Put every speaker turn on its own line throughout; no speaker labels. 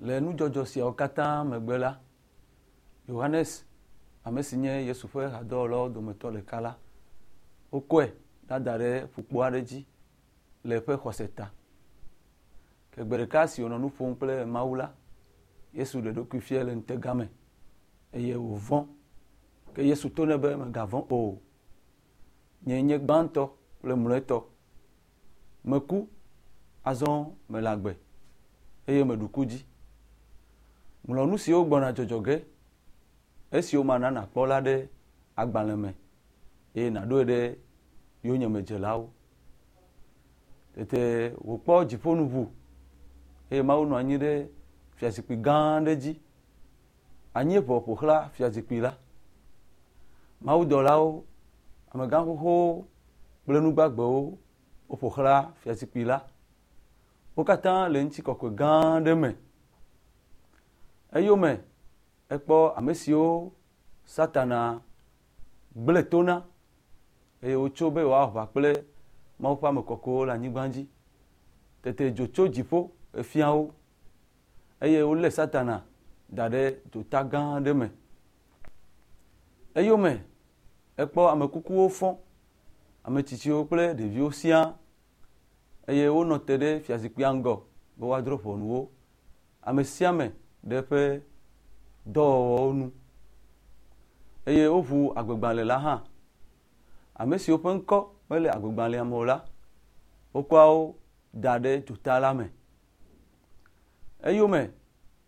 Le nudzɔdzɔ siawo katã megbe la, Yohanes, ame si nye Yesu ƒe hadɔwɔlawo dometɔ ɖeka la, wokɔe ɖada ɖe ƒukpo aɖe dzi le eƒe xɔse ta. Ke gbe ɖeka si wònɔ nu ƒom kple Mawu la, Yesu ɖe eɖokui fiae le ŋutega me eye wòvɔ̃. Ke Yesu to nɛ be, Mègavɔ̃ o. Nyee nye gbãtɔ kple mlɔetɔ. Meku, azɔ mele agbe eye meɖu ku dzi. Ŋlɔ nu siwo gbɔna dzɔdzɔ ge, esiwo mana nàkpɔ la ɖe agbalẽ me eye nàɖoe ɖe yonyemedzelawo. Tete wòkpɔ dziƒo nu ʋu eye Mawu nɔ anyi ɖe fiazikpui gã aɖe dzi. Anyieʋɔ ƒo xlã fiazikpui la. Mawudɔlawo, amegã xoxowo kple nu gbagbewo woƒo xlã fiazikpui la. Wo katã le ŋutikɔkɔe gã aɖe me. Eyome ekpɔ ame siwo Satana gblẽ to na eye wotso be yewoawɔ aʋa kple Mawu ƒe ame kɔkɔewo le anyigba dzi. Tete dzo tso dziƒo efia wo eye wolé Satana da ɖe dzota gã aɖe me. Eyome ekpɔ ame kukuwo fɔ, ame tsitsiwo kple ɖeviwo siaa eye wonɔ te ɖe fiazikpuia ŋgɔ be woadrɔ̃ ʋɔnu wo. Ame sia ame ɖe eƒe dɔwɔwɔwo nu eye woʋu agbegbalẽ la hã. Ame siwo ƒe ŋkɔ mele agbegbalẽa me o la, wokɔa wo da ɖe dzota la me. Eyome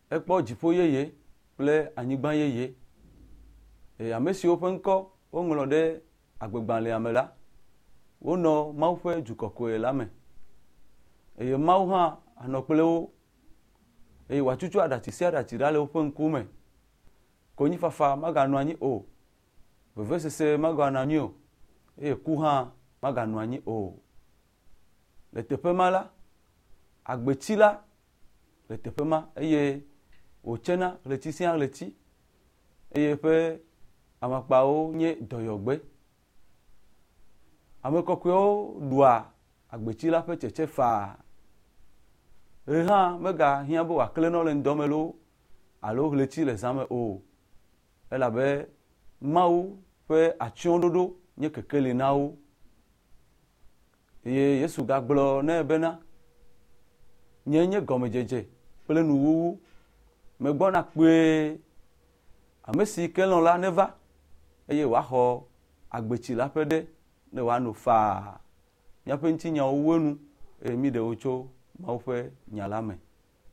ekpɔ dziƒo yeye kple anyigba yeye eye ame siwo ƒe ŋkɔ woŋlɔ ɖe agbegbalẽa me la, wonɔ Mawu ƒe du kɔkɔe la me. Eye Mawu hã anɔ kple wo eye wòatutu aɖatsi sia aɖatsi ɖa le woƒe ŋkume. Konyifafa maganɔ anyi o, vevesese maganɔ anyi o eye ku hã maganɔ anyi o. Le teƒe ma la, agbetsi la le teƒe ma eye wòtsena ɣleti sia ɣleti eye eƒe amakpawo nye dɔyɔgbe. Ame kɔkɔewo ɖua agbetsi la ƒe tsetse faa. Ɣe hã megahiã be wòaklẽ na wo le ŋdɔ me loo alo ɣleti le zã me o elabe Mawu ƒe atsyɔ̃ɖoɖo nye kekeli na wo. Eye Yesu gagblɔ nɛ bena, Nyee nye gɔmedzedze kple nuwuwu. Megbɔna kpuie. Ame si ke lɔ̃ la neva eye wòaxɔ agbetsi la ƒe ɖe ne wòano faa. Míaƒe ŋutinyawo wu enu eye míɖe wo tso Mawu ƒe nya la me.